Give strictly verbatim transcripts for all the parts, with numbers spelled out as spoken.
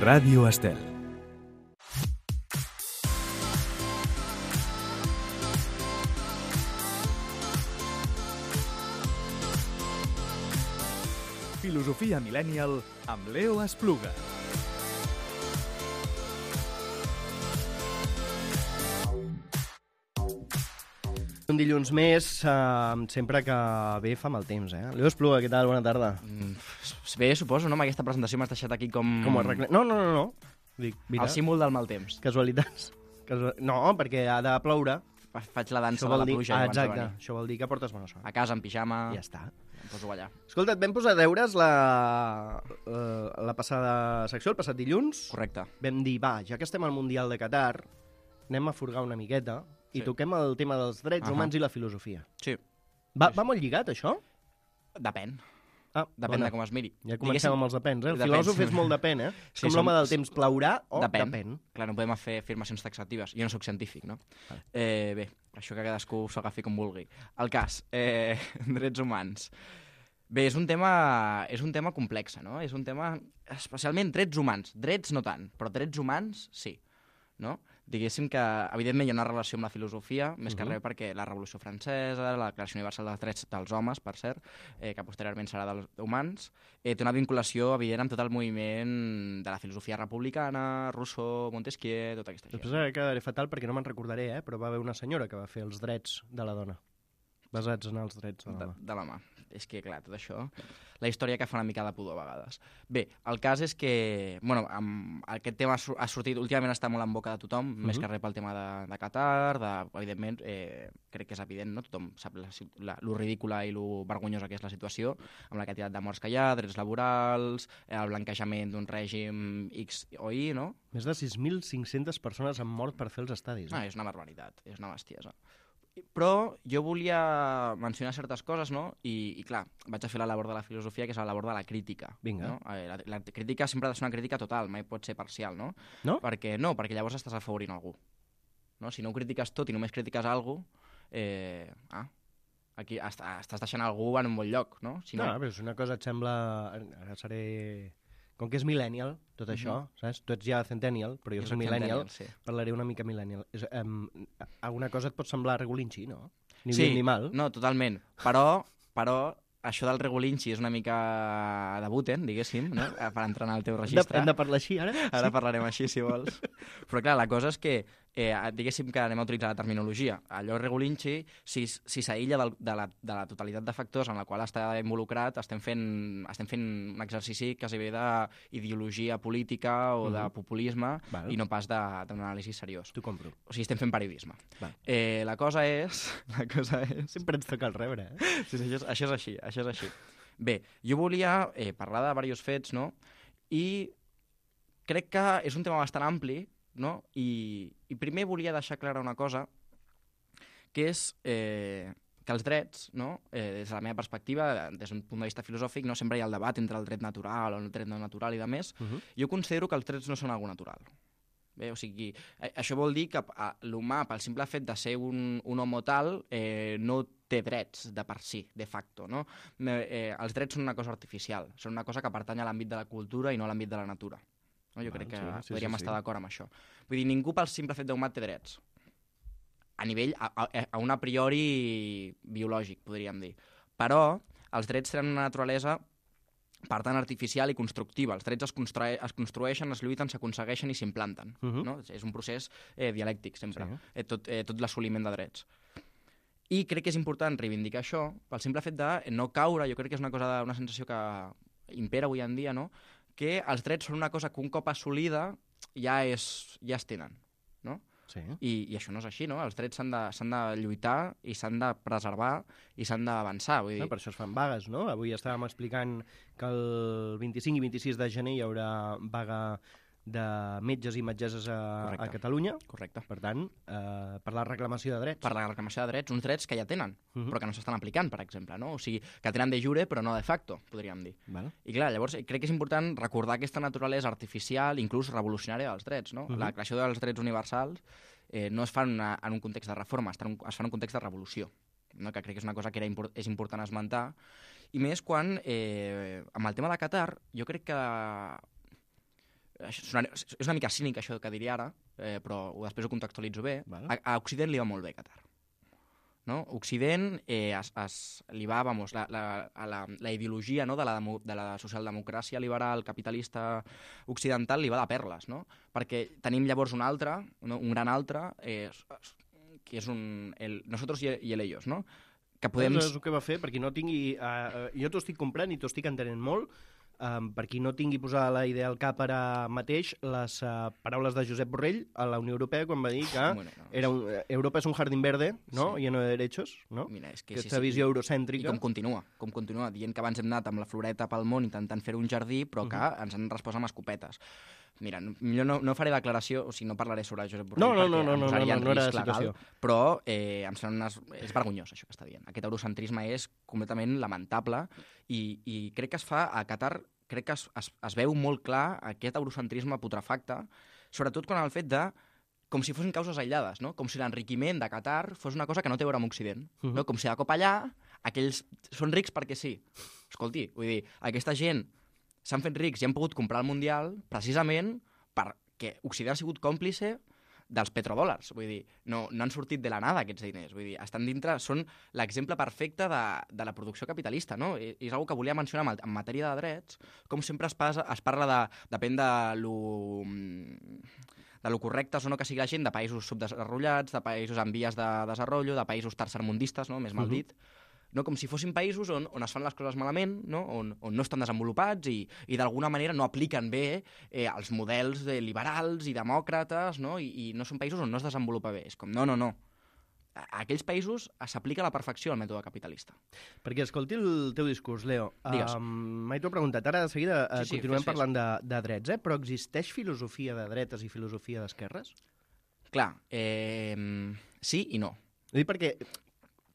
Ràdio Estel. Filosofia Millennial amb Leo Espluga. Un dilluns més, uh, sempre que ve fa mal temps, eh? Leo Espluga, què tal? Bona tarda. Mm, bé, suposo, no? Amb aquesta presentació m'has deixat aquí com... Com ho arreglem? No, no, no, no. Dic, mira, el símbol del mal temps. casualitats. Casual... No, perquè ha de ploure. Fa- Faig la dansa Això de vol la dir... pluja. Ah, abans de exacte. venir. Això vol dir que portes bona sort. A casa, en pijama... Ja està. Em poso allà. Escolta, et vam posar a deures la, la, la passada secció, el passat dilluns. Correcte. Vam dir, va, ja que estem al Mundial de Qatar, anem a furgar una miqueta i Sí. toquem el tema dels drets Ahà. humans i la filosofia. Sí. Va, va molt lligat, això? Depèn. Ah, Depèn bona. de com es miri. Ja comencem Diguéssim, amb els depens, eh? El depèn. filòsof és molt depèn, eh? És Sí, com som- l'home del temps, plaurà o Depèn. depèn. Clar, no podem fer afirmacions taxatives. Jo no sóc científic, no? Ah. Eh, bé, això que cadascú s'ho agafi com vulgui. El cas, eh, drets humans. Bé, és un tema, és un tema complex, no? És un tema, especialment drets humans. Drets no tant, però drets humans sí, no? Diguéssim que, evidentment, hi ha una relació amb la filosofia, més que Mhm. res perquè la Revolució Francesa, la Declaració Universal dels Drets dels Homes, per cert, eh, que posteriorment serà dels humans, eh, té una vinculació evident amb tot el moviment de la filosofia republicana, Rousseau, Montesquieu, tota aquesta gent. Després quedaré fatal perquè no me'n recordaré, eh? Però va haver una senyora que va fer els drets de la dona, basats en els drets de la de, dona. de la mà. És que, clar, tot això... La història que fa una mica de pudor a vegades. Bé, el cas és que... Bueno, amb aquest tema ha sur- ha sortit... Últimament està molt en boca de tothom, uh -huh. més que res pel tema de, de Qatar, de, evidentment, eh, crec que és evident, no? Tothom sap la, la, lo ridícula i lo vergonyosa que és la situació, amb la quantitat de morts que hi ha, drets laborals, eh, el blanquejament d'un règim X o Y, no? Més de sis mil cinc-centes persones han mort per fer els estadis. Ah, Eh? és una barbaritat, és una bestiesa. Però jo volia mencionar certes coses, no? I, i clar, vaig a fer la labor de la filosofia, que és la labor de la crítica. Vinga. No? Eh, La, la crítica sempre ha de ser una crítica total, mai pot ser parcial, no? No? Perquè, no, perquè llavors estàs afavorint algú. No? Si no ho critiques tot i només critiques algú, eh, ah, aquí est estàs deixant algú en un bon lloc, no? Si No, no, no, però és una cosa et sembla... Ara seré... Com que és millennial, tot això, saps? Tu ets ja centennial, però jo Jo soc soc millennial, centennial, sí. parlaré una mica millennial. És, um, alguna cosa et pot semblar regulinxi, no? Ni sí, bien ni mal. no, totalment. Però, però això del regulinxi és una mica de Buten, diguéssim, no? Per entrar en el teu Hem de, registre. hem de parlar així, ara? Ara parlarem així, si vols. Però clar, la cosa és que, eh, diguéssim que anem a utilitzar la terminologia. Allò regulinxi, si, si s'aïlla del- de, la, de la totalitat de factors en la qual està involucrat, estem fent, estem fent un exercici quasi bé d'ideologia política o de Mhm. populisme Val. i no pas de- d'un anàlisi seriós. T'ho compro. O sigui, estem fent periodisme. Val. Eh, la cosa és... La cosa és... Sempre ens toca el rebre, eh? Sí, sí, això, és, això és així, això és així. Bé, jo volia eh, parlar de diversos fets, no? I crec que és un tema bastant ampli, no? I, i primer volia deixar clara una cosa, que és eh, que els drets, no? eh, des de la meva perspectiva, des d'un punt de vista filosòfic, no sempre hi ha el debat entre el dret natural o el dret no natural i de més. Uh -huh. Jo considero que els drets no són algo natural. Bé, o sigui, eh, això vol dir que eh, l'humà, pel simple fet de ser un, un homo tal, eh, no té drets de per si, de facto, no? Eh, eh, els drets són una cosa artificial, són una cosa que pertany a l'àmbit de la cultura i no a l'àmbit de la natura. No? Jo Val, crec que sí, sí, podríem sí, estar sí. d'acord amb això. Vull dir, ningú pel simple fet d'humà té drets. A nivell, a, a, a un a priori biològic, podríem dir. Però els drets tenen una naturalesa per tant artificial i constructiva. Els drets es, construe es construeixen, es lluiten, s'aconsegueixen i s'implanten. Uh -huh. No? És un procés eh, dialèctic, sempre, Sí. eh, tot, eh, tot l'assoliment de drets. I crec que és important reivindicar això pel simple fet de no caure, jo crec que és una cosa, una sensació que impera avui en dia, no? Que els drets són una cosa que un cop assolida ja, és, ja es tenen, no? Sí. I, I això no és així, no? Els drets s'han de, s'han de lluitar i s'han de preservar i s'han d'avançar, vull dir... No, per això es fan vagues, no? Avui estàvem explicant que el vint-i-cinc i vint-i-sis de gener hi haurà vaga de metges i metgesses a, a Correcte. Catalunya. Correcte. Per tant, eh, per la reclamació de drets. Per la reclamació de drets, uns drets que ja tenen, Uh -huh. però que no s'estan aplicant, per exemple, no? O sigui, que tenen de jure, però no de facto, podríem dir. Val. I clar, llavors crec que és important recordar aquesta naturalesa artificial, inclús revolucionària dels drets, no? Uh -huh. La creació dels drets universals eh, no es fa en, una, en un context de reforma, es fa en un, es fa en un context de revolució, no? Que crec que és una cosa que era import, és important esmentar, i més quan, eh, amb el tema de Qatar, jo crec que és una, és una mica cínic això que diria ara, eh, però després ho contextualitzo bé, Vale. a, a Occident li va molt bé Qatar. No? Occident eh, es, es, li va, vamos, la, la, la, la ideologia, no? de, la, de la socialdemocràcia liberal capitalista occidental li va de perles, no? Perquè tenim llavors un altre, no? un gran altre, eh, que és un, el nosotros y, y el ellos, no? Que podem... És el que va fer, perquè no tingui... Uh, jo t'ho estic comprant i t'ho estic entenent molt, um, per qui no tingui posar la idea al cap ara mateix, les uh, paraules de Josep Borrell a la Unió Europea quan va dir que Bueno, no, era un, Europa és un jardín verde, no? Sí. Lleno de derechos, no? Mira, és que Aquesta sí, sí. visió I eurocèntrica. com continua, com continua, dient que abans hem anat amb la floreta pel món intentant fer un jardí, però que uh -huh. ens han respost amb escopetes. Mira, millor no, no faré declaració, o sigui, no parlaré sobre Josep Borrell No, no, perquè no, no, em no, posaria no, en no era risc la legal, situació. però eh, em sembla unes... és vergonyós això que està dient. Aquest eurocentrisme és completament lamentable i, i crec que es fa a Qatar, crec que es, es, es veu molt clar aquest eurocentrisme putrefacte, sobretot quan el fet de com si fossin causes aïllades, no? Com si l'enriquiment de Qatar fos una cosa que no té a veure amb Occident. Uh -huh. No? Com si de cop allà aquells són rics perquè sí. Escolti, vull dir, aquesta gent s'han fet rics i han pogut comprar el Mundial precisament perquè Occident ha sigut còmplice dels petrodòlars. Vull dir, no, no han sortit de la nada aquests diners. Vull dir, estan dintre, són l'exemple perfecte de, de la producció capitalista, no? I, és una cosa que volia mencionar en, en matèria de drets, com sempre es, passa, es parla de, depèn de lo, de lo correctes o no que sigui la gent, de països subdesenvolupats, de països en vies de desenvolupament, de països tercermundistes, no? Més mal dit, no? Com si fossin països on, on es fan les coses malament, no? on, on no estan desenvolupats i, i d'alguna manera no apliquen bé eh, els models eh, liberals i demòcrates, no? I, i no són països on no es desenvolupa bé. És com, no, no, no. A aquells països s'aplica a la perfecció el mètode capitalista. Perquè escolti el teu discurs, Leo. Digues. Um, Mai t'ho he preguntat. Ara de seguida uh, Sí, sí, continuem fes, fes. parlant de, de drets, eh? Però existeix filosofia de dretes i filosofia d'esquerres? Clar, eh, sí i no. Ho dic perquè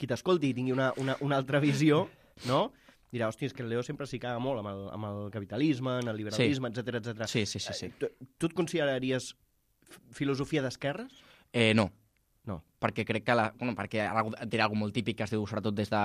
qui t'escolti i tingui una, una, una altra visió, no? Dirà, hòstia, és que el Leo sempre s'hi caga molt amb el, amb el capitalisme, en el liberalisme, sí. etcètera, etcètera. Sí, sí, sí. sí. Tu, tu et consideraries filosofia d'esquerres? Eh, no. No. Perquè crec que, la, bueno, perquè ara dirà alguna molt típic que es diu, sobretot des de...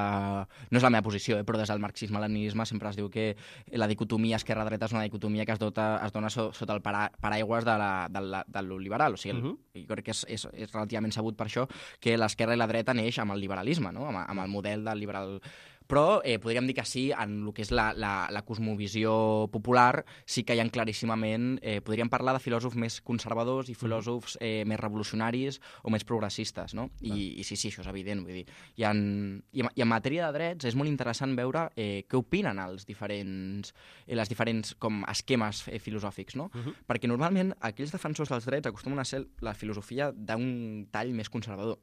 No és la meva posició, eh, però des del marxisme-leninisme sempre es diu que la dicotomia esquerra-dreta és una dicotomia que es, dota, es dona so, sota el para, paraigües de, la, de, la, de lo liberal. O sigui, el, uh -huh. jo crec que és, és, és relativament sabut per això que l'esquerra i la dreta neix amb el liberalisme, no? amb, amb el model del liberal... Però eh, podríem dir que sí, en el que és la, la, la cosmovisió popular, sí que hi ha claríssimament... Eh, podríem parlar de filòsofs més conservadors i filòsofs eh, més revolucionaris o més progressistes, no? I, i sí, sí, això és evident. Vull dir, i, en, i, en, I en matèria de drets és molt interessant veure eh, què opinen els diferents, eh, les diferents com, esquemes eh, filosòfics, no? Uh -huh. Perquè normalment aquells defensors dels drets acostumen a ser la filosofia d'un tall més conservador.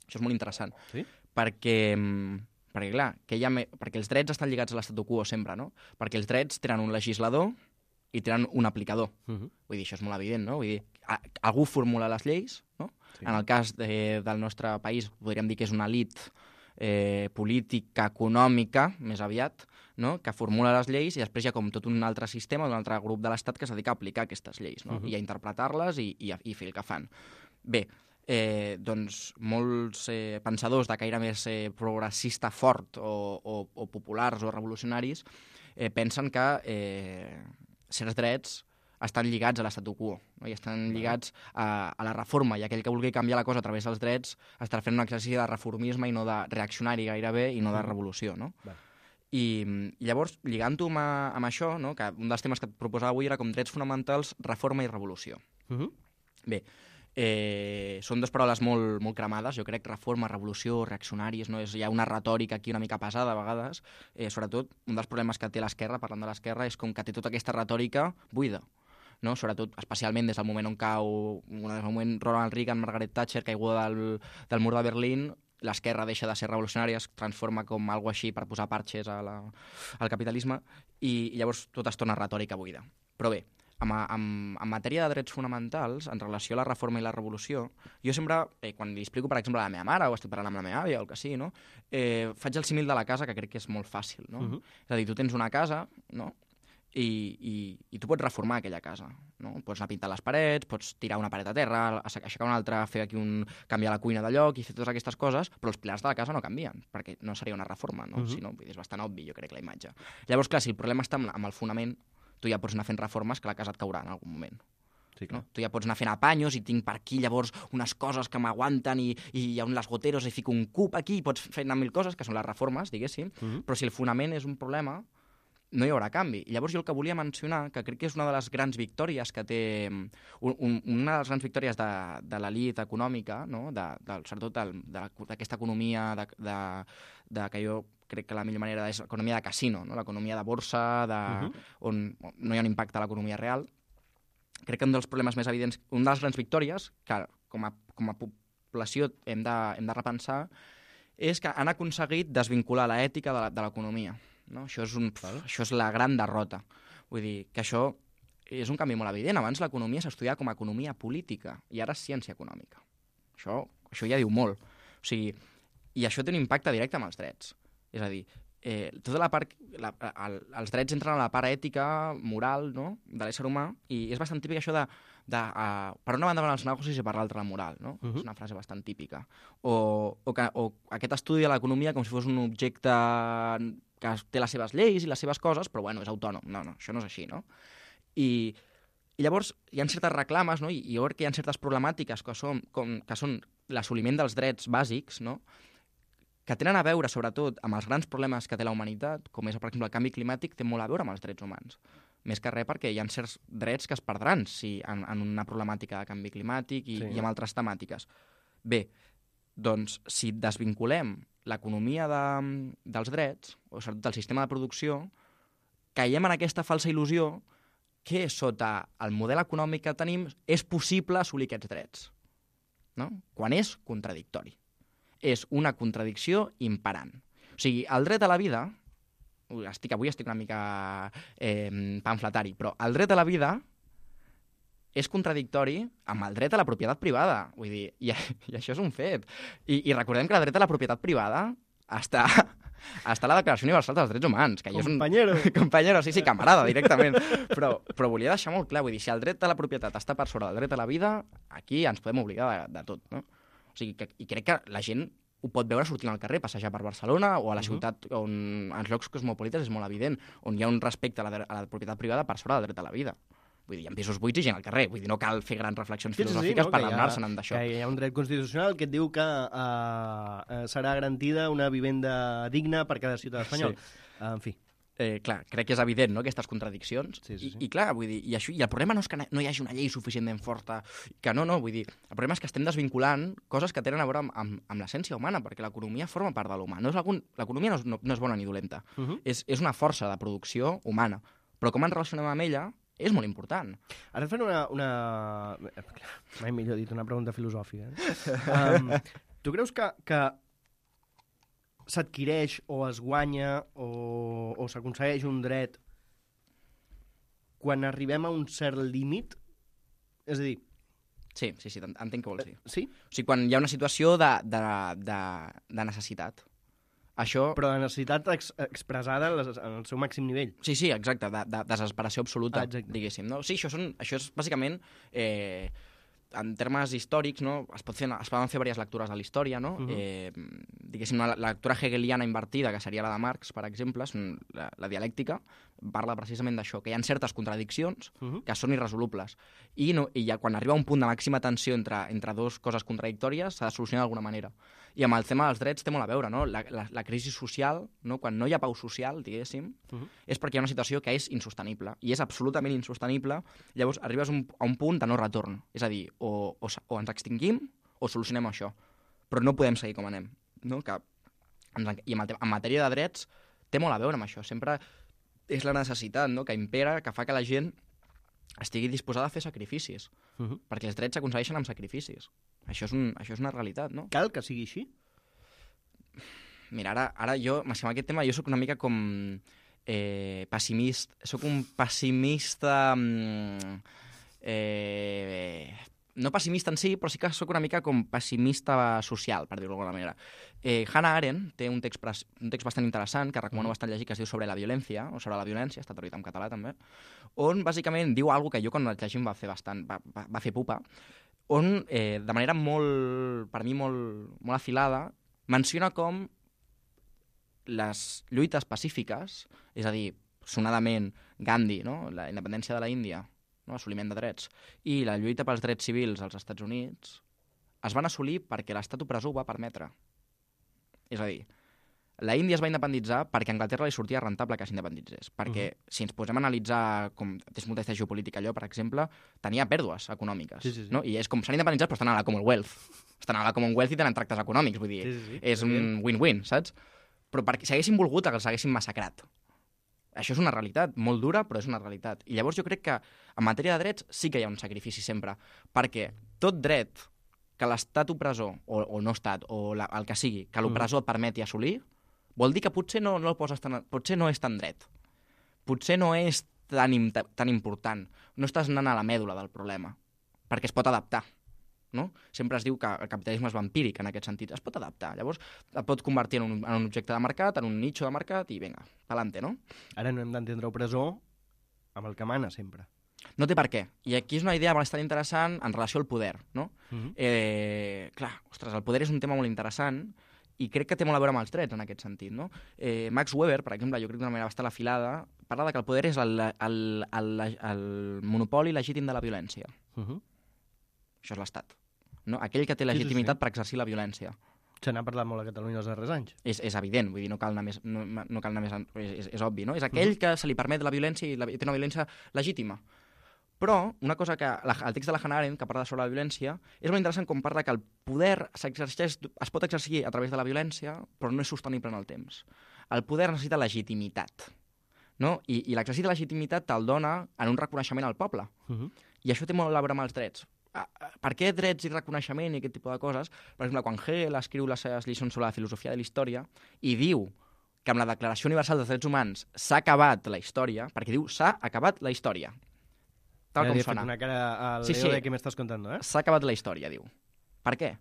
Això és molt interessant. Sí? Perquè... Perquè, clar, que hi ha me... perquè els drets estan lligats a l'estatu quo sempre, no? Perquè els drets tenen un legislador i tenen un aplicador. Uh -huh. Vull dir, això és molt evident, no? Vull dir, a... algú formula les lleis, no? Sí. En el cas de... del nostre país podríem dir que és una elit eh, política, econòmica, més aviat, no? Que formula les lleis i després hi ha com tot un altre sistema, un altre grup de l'Estat que es dedica a aplicar aquestes lleis, no? Uh -huh. I a interpretar-les i, i, a... i fer el que fan. Bé, Eh, doncs molts eh, pensadors de caire més eh, progressista fort o, o, o populars o revolucionaris eh, pensen que eh, certs drets estan lligats a l'estatu quo, no? I estan lligats a, a la reforma, i aquell que vulgui canviar la cosa a través dels drets estarà fent un exercici de reformisme i no de reaccionari gairebé i no de revolució, no? Va. I, i llavors, lligant-ho amb, amb això, no? Que un dels temes que et proposava avui era com drets fonamentals, reforma i revolució. Uh -huh. Bé, Eh, són dues paraules molt, molt cremades, jo crec, reforma, revolució, reaccionaris, no? És, hi ha una retòrica aquí una mica pesada a vegades, eh, sobretot un dels problemes que té l'esquerra, parlant de l'esquerra, és com que té tota aquesta retòrica buida, no? Sobretot, especialment des del moment on cau, des del moment Ronald Reagan, Margaret Thatcher, caiguda del, del mur de Berlín, l'esquerra deixa de ser revolucionària, es transforma com algo així per posar parxes a la, al capitalisme, i, i llavors tot es torna retòrica buida. Però bé, En, en, en matèria de drets fonamentals, en relació a la reforma i la revolució, jo sempre, eh, quan li explico, per exemple, a la meva mare, o estic parlant amb la meva àvia, o el que sigui, no? eh, faig el símil de la casa, que crec que és molt fàcil, no? Uh -huh. És a dir, tu tens una casa, no? I, i, i tu pots reformar aquella casa, no? Pots anar a pintar les parets, pots tirar una paret a terra, aixecar una altra, fer aquí un... canviar la cuina de lloc i fer totes aquestes coses, però els pilars de la casa no canvien, perquè no seria una reforma, no? Uh -huh. Si no, és bastant obvi, jo crec, la imatge. Llavors, clar, si el problema està amb el fonament, tu ja pots anar fent reformes que la casa et caurà en algun moment. Sí, clar. No? Tu ja pots anar fent apanyos i tinc per aquí llavors unes coses que m'aguanten i, i hi ha les goteros i fico un cub aquí i pots fer anar mil coses, que són les reformes, diguéssim, Mhm. però si el fonament és un problema, no hi haurà canvi. I llavors jo el que volia mencionar, que crec que és una de les grans victòries que té... Un, un, una de les grans victòries de, de l'elit econòmica, no? de, de, sobretot d'aquesta economia de, de, de, que jo crec que la millor manera és l'economia de casino, no? L'economia de borsa, de, uh-huh. on no hi ha un impacte a l'economia real. Crec que un dels problemes més evidents, una de les grans victòries, que com a, com a població hem de, hem de repensar, és que han aconseguit desvincular l'ètica de l'economia. No? Això, és un, pf, això és la gran derrota. Vull dir que això és un canvi molt evident. Abans l'economia s'estudiava com a economia política i ara és ciència econòmica. Això, això ja diu molt. O sigui, i això té un impacte directe amb els drets. És a dir, eh, tota la part, la, el, els drets entren a la part ètica, moral, no? de l'ésser humà, i és bastant típic això de, de uh, per una banda van els negocis i per l'altra la moral. No? Uh-huh. És una frase bastant típica. O, o, que, o aquest estudi de l'economia com si fos un objecte que té les seves lleis i les seves coses, però bueno, és autònom. No, no, això no és així, no? I, i llavors hi ha certes reclames, no? I, i jo crec que hi ha certes problemàtiques que són, com, que són l'assoliment dels drets bàsics, no? Que tenen a veure, sobretot, amb els grans problemes que té la humanitat, com és, per exemple, el canvi climàtic, té molt a veure amb els drets humans. Més que res perquè hi ha certs drets que es perdran si, en, en una problemàtica de canvi climàtic i, sí. i amb altres temàtiques. Bé, doncs, si desvinculem l'economia de, dels drets, o sobretot del sistema de producció, caiem en aquesta falsa il·lusió que sota el model econòmic que tenim és possible assolir aquests drets, no? Quan és contradictori. És una contradicció imperant. O sigui, el dret a la vida, estic, avui estic una mica eh, pamfletari, però el dret a la vida és contradictori amb el dret a la propietat privada. Vull dir, i, i això és un fet. I, I recordem que el dret a la propietat privada està, està a la Declaració Universal dels Drets Humans. Que Compañero. És un... Compañero, sí, sí, camarada, directament. Però, però volia deixar molt clar, vull dir, si el dret a la propietat està per sobre del dret a la vida, aquí ens podem obligar de, de tot, no? O sigui, que, i crec que la gent ho pot veure sortint al carrer, passejar per Barcelona o a la uh-huh. ciutat on, als llocs cosmopolites és molt evident, on hi ha un respecte a la, a la propietat privada per sobre del dret a la vida. Vull dir, hi ha pisos buits i gent al carrer. Vull dir, no cal fer grans reflexions filosòfiques sí, sí, no? per adonar-se'n d'això. Que hi ha un dret constitucional que et diu que uh, serà garantida una vivenda digna per cada ciutadà espanyol. Sí. Uh, en fi. Eh, clar, crec que és evident, no?, aquestes contradiccions. Sí, sí, sí. I, I clar, vull dir, i, això, i el problema no és que no hi hagi una llei suficientment forta, que no, no, vull dir, el problema és que estem desvinculant coses que tenen a veure amb, amb, amb l'essència humana, perquè l'economia forma part de l'humà. No és algun... L'economia no, és, no, no és bona ni dolenta, uh-huh. és, és una força de producció humana, però com ens relacionem amb ella és molt important. Ara et fan una... una... mai millor dit, una pregunta filosòfica. Eh? Um, tu creus que... que s'adquireix o es guanya o, o s'aconsegueix un dret quan arribem a un cert límit? És a dir... Sí, sí, sí, entenc què vols dir. Sí? O sigui, quan hi ha una situació de, de, de, de necessitat. Això... Però de necessitat ex expressada en el seu màxim nivell. Sí, sí, exacte, de, de desesperació absoluta, ah, diguéssim. No? Sí, això, són, això és bàsicament... Eh, en termes històrics, no? es, pot fer, es poden fer diverses lectures de la història, no? Uh-huh. eh, diguéssim, una lectura hegeliana invertida, que seria la de Marx, per exemple, la, la dialèctica, parla precisament d'això, que hi ha certes contradiccions uh-huh. que són irresolubles. I, no, i ja quan arriba un punt de màxima tensió entre, entre dues coses contradictòries, s'ha de solucionar d'alguna manera. I amb el tema dels drets té molt a veure, no? La, la, la crisi social, no? Quan no hi ha pau social, diguéssim, uh-huh. és perquè hi ha una situació que és insostenible, i és absolutament insostenible, llavors arribes un, a un punt de no retorn, és a dir, o, o, o ens extingim o solucionem això, però no podem seguir com anem, no? Que, i en, en matèria de drets té molt a veure amb això, sempre és la necessitat, no? Que impera, que fa que la gent estigui disposada a fer sacrificis, uh-huh. perquè els drets s'aconsegueixen amb sacrificis. Això és, un, això és una realitat, no? Cal que sigui així? Mira, ara, ara jo, amb aquest tema, jo sóc una mica com eh, pessimista, sóc un pessimista... Eh, no pessimista en sí, però sí que sóc una mica com pessimista social, per dir-ho d'alguna manera. Eh, Hannah Arendt té un text, un text bastant interessant, que recomano bastant llegir, que es diu Sobre la violència, o sobre la violència, està traduït en català també, on bàsicament diu alguna que jo quan el llegim va fer bastant, va, va, va fer pupa, on eh, de manera molt, per mi molt, molt afilada, menciona com les lluites pacífiques, és a dir, sonadament Gandhi, no? La independència de la Índia, no? Assoliment de drets, i la lluita pels drets civils als Estats Units es van assolir perquè l'estat opressor ho va permetre. És a dir, la Índia es va independitzar perquè a Anglaterra li sortia rentable que s'independitzés. Perquè, uh-huh. si ens posem a analitzar, com és molta geopolítica allò, per exemple, tenia pèrdues econòmiques. Sí, sí, sí. No? I és com s'han independitzat, però estan a la Commonwealth. Estan a la Commonwealth i tenen tractes econòmics, vull dir, sí, sí, sí. és un win-win, saps? Però perquè si haguessin volgut, els haguessin massacrat. Això és una realitat, molt dura, però és una realitat. I llavors jo crec que en matèria de drets sí que hi ha un sacrifici sempre, perquè tot dret que l'estat opressor, o, o no estat, o la, el que sigui, que l'opressor et permeti assolir, vol dir que potser no, no, el poses tan, potser no és tan dret. Potser no és tan, tan important. No estàs anant a la mèdula del problema, perquè es pot adaptar. No? Sempre es diu que el capitalisme és vampíric en aquest sentit. Es pot adaptar. Llavors et pot convertir en un, en un objecte de mercat, en un nicho de mercat i vinga, pa'lante, no? Ara no hem d'entendre opressor amb el que mana sempre. No té per què. I aquí és una idea bastant interessant en relació al poder, no? Uh-huh. eh, clar, ostres, el poder és un tema molt interessant i crec que té molt a veure amb els drets en aquest sentit, no? Eh, Max Weber, per exemple, jo crec d'una manera bastant afilada, parla de que el poder és el, el, el, el, el monopoli legítim de la violència. Uh-huh. Això és l'Estat. No? Aquell que té legitimitat sí, sí, sí. per exercir la violència. Se n'ha parlat molt a Catalunya els darrers anys. És, és evident, vull dir, no cal anar més, no, no cal anar més és, és, és obvi, no? És aquell uh-huh. que se li permet la violència i, la, i té una violència legítima. Però una cosa que la, el text de la Hannah Arendt, que parla sobre la violència, és molt interessant com parla que el poder s'exerceix, es pot exercir a través de la violència, però no és sostenible en el temps. El poder necessita legitimitat, no? I, i l'exercici de legitimitat te'l dona en un reconeixement al poble. Uh-huh. I això té molt a veure amb els drets. Per què drets i reconeixement i aquest tipus de coses? Per exemple, quan Hegel escriu les seves lliçons sobre la filosofia de la història i diu que amb la Declaració Universal dels Drets Humans s'ha acabat la història, perquè diu s'ha acabat la història. Tal ja com sona. Una cara al sí, Leo sí. de què m'estàs contant, eh? S'ha acabat la història, diu. Per què?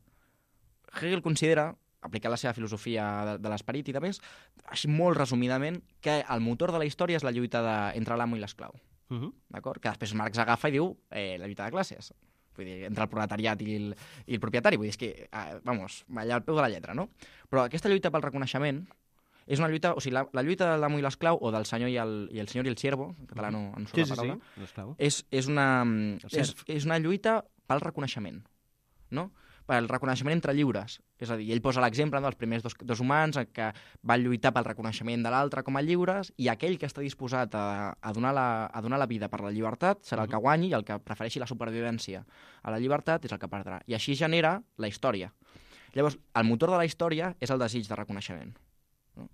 Hegel considera, aplicant la seva filosofia de, de l'esperit i de més, així molt resumidament, que el motor de la història és la lluita de, entre l'amo i l'esclau. Uh-huh. D'acord? Que després Marx agafa i diu eh, la lluita de classes. Vull dir, entre el proletariat i el, i el propietari. Vull dir, és que, eh, vamos, allà al peu de la lletra, no? Però aquesta lluita pel reconeixement és una lluita, o sigui, la, la lluita de l'amo i l'esclau, o del senyor i el, i el senyor i el siervo, en català no, no surt sí, la paraula, sí, sí. és, és, una, és, és una lluita pel reconeixement, no? Pel reconeixement entre lliures. És a dir, ell posa l'exemple dels primers dos, dos humans que van lluitar pel reconeixement de l'altre com a lliures i aquell que està disposat a, a, donar la, a donar la vida per la llibertat serà el que guanyi i el que prefereixi la supervivència a la llibertat és el que perdrà. I així genera la història. Llavors, el motor de la història és el desig de reconeixement. No?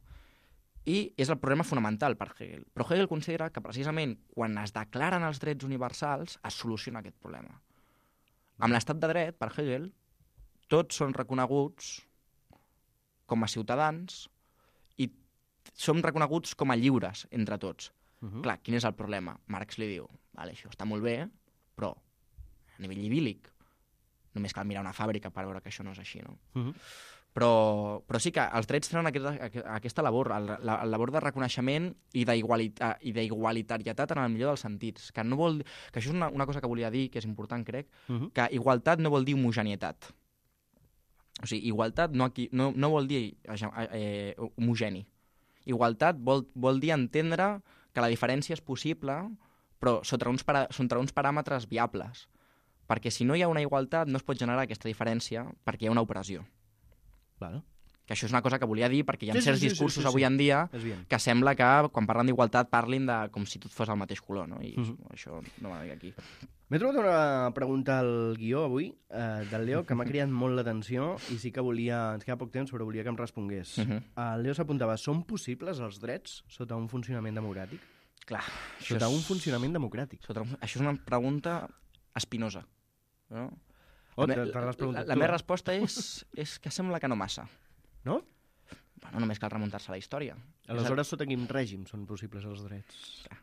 I és el problema fonamental per Hegel. Però Hegel considera que precisament quan es declaren els drets universals es soluciona aquest problema. Amb l'estat de dret, per Hegel, tots són reconeguts com a ciutadans i som reconeguts com a lliures entre tots. Uh-huh. Clar, quin és el problema? Marx li diu, vale, això està molt bé, però a nivell idíl·lic només cal mirar una fàbrica per veure que això no és així, no? Uh-huh. Però, però sí que els drets tenen aquesta, aquesta labor, la, la labor de reconeixement i d'igualitarietat en el millor dels sentits. Que, no vol, que això és una, una cosa que volia dir, que és important, crec, uh-huh. que igualtat no vol dir homogenietat. O sigui, igualtat no, aquí, no, no vol dir eh, homogeni. Igualtat vol, vol dir entendre que la diferència és possible, però sota uns, para, sota uns paràmetres viables. Perquè si no hi ha una igualtat no es pot generar aquesta diferència perquè hi ha una opressió. Claro. Que això és una cosa que volia dir perquè hi ha sí, certs sí, sí, discursos sí, sí, sí. avui en dia que sembla que quan parlen d'igualtat parlin de com si tot fos el mateix color, no? I uh-huh. això no m'ha dit aquí. M'he trobat una pregunta al guió avui eh, del Leo que m'ha cridat molt l'atenció i sí que volia, ens queda poc temps, però volia que em respongués. Uh-huh. El Leo s'apuntava, són possibles els drets sota un funcionament democràtic? Clar. Sota és... un funcionament democràtic. Sota un... Això és una pregunta espinosa. No? Oh, la, la, la, la meva resposta és, és que sembla que no massa. No? Bueno, només cal remuntar-se a la història. Aleshores, sota quin règim són possibles els drets? Clar,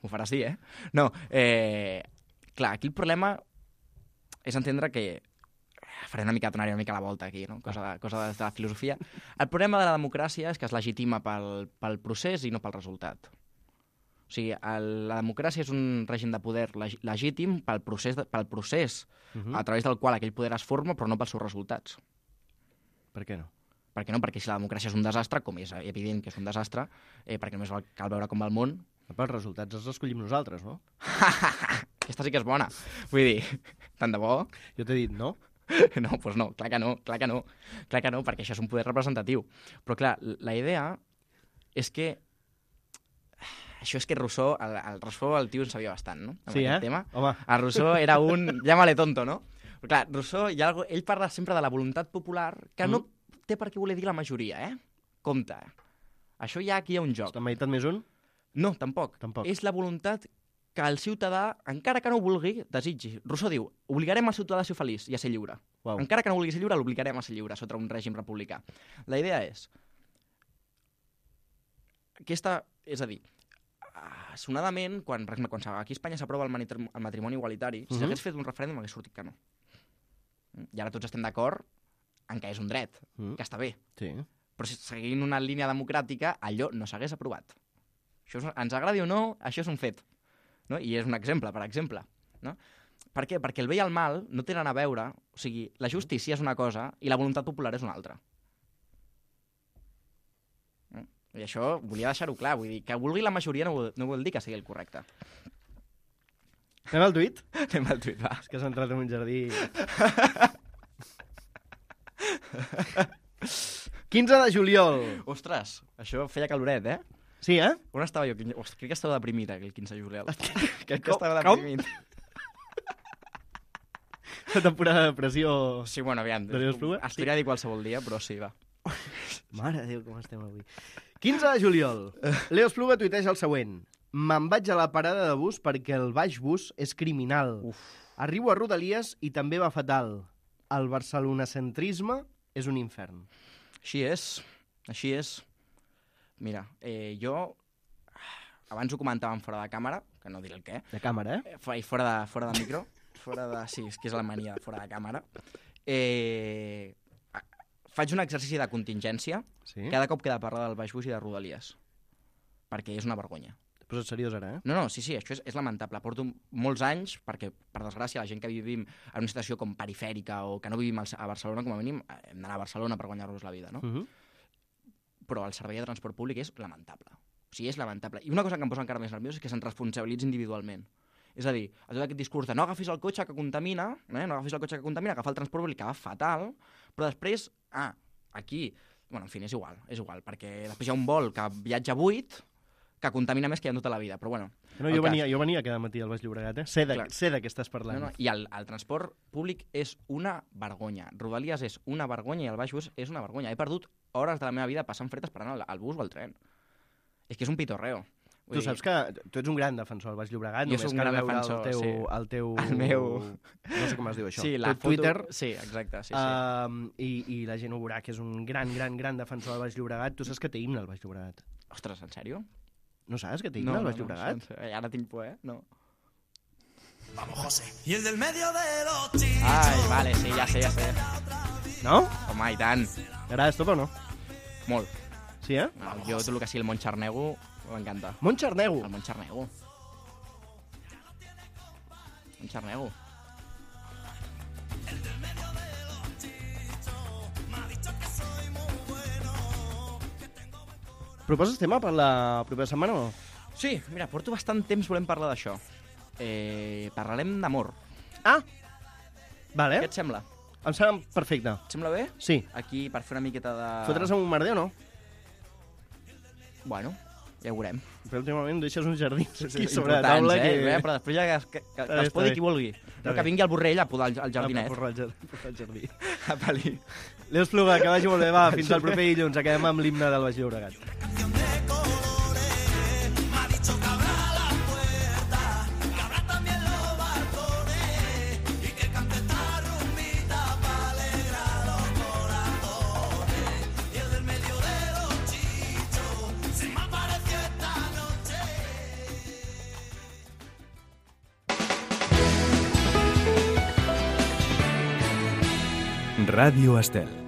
ho faràs dir, eh? No, eh... Clar, aquí el problema és entendre que... Faré una mica, donar una mica la volta aquí, no? Cosa de, cosa de, de la filosofia. El problema de la democràcia és que es legitima pel, pel procés i no pel resultat. O sigui, el, la democràcia és un règim de poder leg, legítim pel procés, de, pel procés uh-huh. a través del qual aquell poder es forma, però no pels seus resultats. Per què no? Per què no? Perquè si la democràcia és un desastre, com és evident que és un desastre, eh, perquè només cal veure com va el món, però els resultats els escollim nosaltres, no? Aquesta sí que és bona. Vull dir, tant de bo... Jo t'he dit no. No, doncs no, clar que no, clar que no. Clar que no, perquè això és un poder representatiu. Però clar, la idea és que... Això és que Rousseau, el, el Rousseau el tio en sabia bastant, no? Amb Sí, eh? tema. Home. El Rousseau era un... Llámale tonto, no? Però clar, Rousseau, hi ha algo... ell parla sempre de la voluntat popular, que mm. no té per què voler dir la majoria, eh? Compte. Això ja aquí hi ha un joc. Està meditat més un? No, tampoc. Tampoc. És la voluntat que el ciutadà, encara que no ho vulgui, desitgi. Rousseau diu, obligarem el ciutadà a ser feliç i a ser lliure. Wow. Encara que no vulgui ser lliure, l'obligarem a ser lliure sota un règim republicà. La idea és... Aquesta... És a dir, sonadament, quan, per exemple, quan aquí a Espanya s'aprova el, el matrimoni igualitari, si s'hagués uh -huh. fet un referèndum hagués sortit que no. I ara tots estem d'acord en que és un dret, uh -huh. que està bé. Sí. Però si seguint una línia democràtica, allò no s'hagués aprovat. Això és, ens agradi o no, això és un fet. No? I és un exemple, per exemple. No? Per què? Perquè el bé i el mal no tenen a veure... O sigui, la justícia és una cosa i la voluntat popular és una altra. No? I això volia deixar-ho clar. Vull dir, que vulgui la majoria no vol, no vol dir que sigui el correcte. Anem al tuit? Anem al tuit, va. És que s'ha entrat en un jardí... quinze de juliol. Ostres, això feia caloret, eh? Sí, eh? On estava jo? Ostres, crec que estava deprimit, el quinze de juliol. Crec que Com? estava deprimit. La temporada de depressió... Sí, bueno, aviam. De Leo Espluga? Es podria dir qualsevol dia, però sí, va. Mare de Déu, com estem avui. quinze de juliol. Leo Espluga tuiteja el següent. Me'n vaig a la parada de bus perquè el baix bus és criminal. Uf. Arribo a Rodalies i també va fatal. El barcelonacentrisme és un infern. Així és, així és. Mira, eh, jo... Abans ho comentàvem fora de càmera, que no diré el què. De càmera, eh? eh fora, de, fora de micro. Fora de... Sí, és que és la mania de fora de càmera. Eh, faig un exercici de contingència sí? cada cop que he de parlar del baix bus i de Rodalies. Perquè és una vergonya. T'he posat seriós ara, eh? No, no, sí, sí, això és, és lamentable. Porto molts anys, perquè, per desgràcia, la gent que vivim en una situació com perifèrica o que no vivim a Barcelona, com a mínim, hem d'anar a Barcelona per guanyar-nos la vida, no? Uh-huh. Però el servei de transport públic és lamentable. O sigui, és lamentable. I una cosa que em posa encara més nerviós és que se'n responsabilitza individualment. És a dir, a tot aquest discurs de no agafis el cotxe que contamina, eh? no agafis el cotxe que contamina, agafar el transport públic que va fatal, però després, ah, aquí, bueno, en fi, és igual, és igual, perquè després hi ha un vol que viatja buit, que contamina més que hi ha tota la vida, però bueno... No, jo, venia, jo venia cada matí al Baix Llobregat, eh? Sé de, sé de què estàs parlant. No, no, I el, el transport públic és una vergonya. Rodalies és una vergonya i el baix bus és una vergonya. He perdut hores de la meva vida passant fred esperant el, el bus o el tren. És que és un pitorreo. Vull tu dir... saps que tu ets un gran defensor del Baix Llobregat, jo només cal veure defensor, el teu... Sí. El teu... El meu... No sé com es diu això. Sí, la foto... Twitter. Sí, exacte, sí, sí. Uh, i, I la gent ho veurà, que és un gran, gran, gran defensor del Baix Llobregat. Tu saps que té himne al Baix Llobregat? Ostres, en sèrio? No saps que té himne no, al Baix no, Llobregat? No, no, ara tinc por, eh? No. Vamos, José. Y el del medio de los chichos. Ai, vale, sí, ja sé, ja sé. No? Home, i tant. T'agrada esto o no? Molt. Sí, eh? No, jo tot el que sigui el Montxarnego m'encanta. Montxarnego? El Montxarnego. Montxarnego. El del medio de los chichos m'ha dicho que soy muy bueno. Proposes tema per la propera setmana o no? Sí, mira, porto bastant temps volem parlar d'això. Eh, parlarem d'amor. Ah! Vale. Què et sembla? Em sembla perfecte. Et sembla bé? Sí. Aquí, per fer una miqueta de... Fotre's amb un merder o no? Bueno, ja ho veurem. Però últimament deixes uns jardins aquí sobre la taula. eh? Que... Bé, però després ja que, que, que es podi qui vulgui. No, que vingui el Borrell a podar el, el jardinet. A podar el jardí. A pali. Leo Espluga, que vagi molt bé. Va, fins al proper dilluns. Acabem amb l'himne del Baix Llobregat. Ràdio Estel.